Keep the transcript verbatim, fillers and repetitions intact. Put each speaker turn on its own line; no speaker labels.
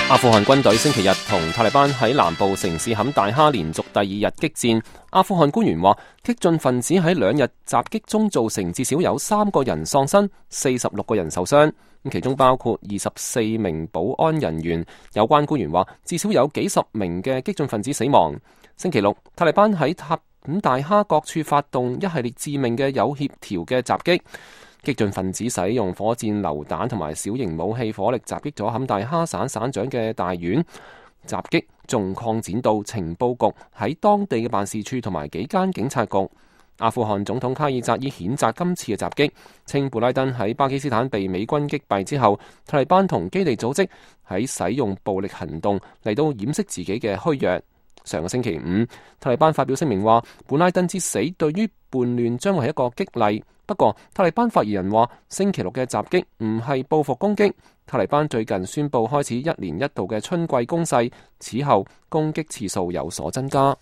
阿富汗軍隊星期日同塔利班喺南部城市坎大哈連續第二日激戰。阿富汗官員話，激進分子喺兩日襲擊中造成至少有三個人喪生，四十六個人受傷，其中包括二十四名保安人員。有關官員話，至少有幾十名嘅激進分子死亡。星期六，塔利班喺塔坎大哈各處發動一系列致命嘅有協調嘅襲擊。激進分子使用火箭榴彈同埋小型武器火力襲擊咗坎大哈省省長嘅大院，襲擊仲擴展到情報局喺當地嘅辦事處同埋幾間警察局。阿富汗總統卡爾扎伊譴責今次嘅襲擊，稱布拉登喺巴基斯坦被美軍擊斃之後，塔利班同基地組織喺使用暴力行動嚟到掩飾自己嘅虛弱。上個星期五，塔利班發表聲明話，布拉登之死對於叛亂將會係一個激勵。不過，塔利班發言人話，星期六嘅襲擊唔係報復攻擊。塔利班最近宣布開始一年一度嘅春季攻勢，此後攻擊次數有所增加。